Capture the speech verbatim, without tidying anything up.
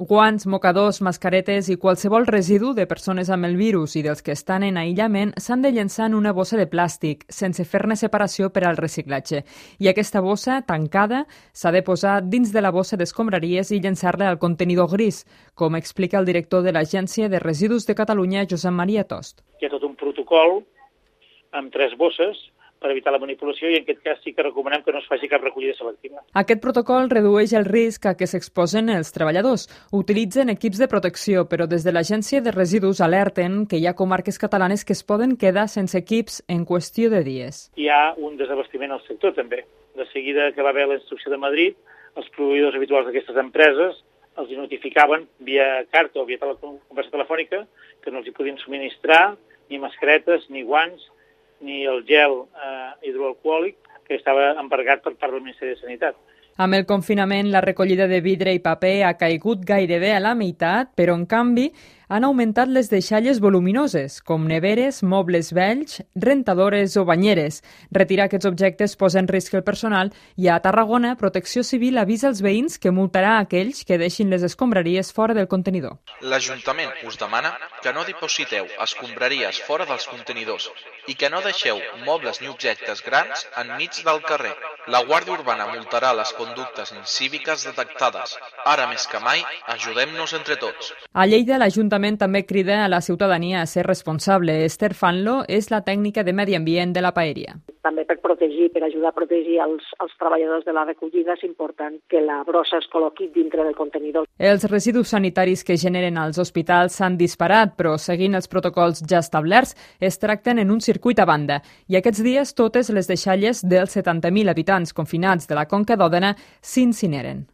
Guants, mocadors, mascaretes i qualsevol residu de persones amb el virus i dels que estan en aïllament s'han de llençar en una bossa de plàstic, sense fer-ne separació per al reciclatge. I aquesta bossa, tancada, s'ha de posar dins de la bossa d'escombraries i llençar-la al contenidor gris, com explica el director de l'Agència de Residus de Catalunya, Josep Maria Tost. Hi ha tot un protocol amb tres bosses per evitar la manipulació i en aquest cas sí que recomanem que no es faci cap recollida selectiva. Aquest protocol redueix el risc a què s'exposen els treballadors. Utilitzen equips de protecció, però des de l'Agència de Residus alerten que hi ha comarques catalanes que es poden quedar sense equips en qüestió de dies. Hi ha un desabastiment al sector també. De seguida que va haver la instrucció de Madrid, els proveïdors habituals d'aquestes empreses els notificaven via carta o via tele- conversa telefònica que no els hi podien subministrar ni mascaretes, ni guants, ni el gel eh, hidroalcohòlic que estava embargat per part del Ministeri de Sanitat. Amb el confinament, la recollida de vidre i paper ha caigut gairebé a la meitat, però, en canvi, han augmentat les deixalles voluminoses, com neveres, mobles vells, rentadores o banyeres. Retirar aquests objectes posa en risc el personal i a Tarragona, Protecció Civil avisa els veïns que multarà aquells que deixin les escombraries fora del contenidor. L'Ajuntament us demana que no dipositeu escombraries fora dels contenidors i que no deixeu mobles ni objectes grans enmig del carrer. La Guàrdia Urbana multarà les conductes incíviques detectades. Ara més que mai, ajudem-nos entre tots. A Lleida, l'Ajuntament també crida a la ciutadania a ser responsable. Esther Fanlo és la tècnica de medi ambient de la paeria. També per protegir, per ajudar a protegir els, els treballadors de la recollida, és important que la brossa es col·loqui dintre del contenidor. Els residus sanitaris que generen als hospitals s'han disparat, però seguint els protocols ja establerts, es tracten en un circuit a banda. I aquests dies totes les deixalles dels setanta mil habitants confinats de la Conca d'Òdena s'incineren.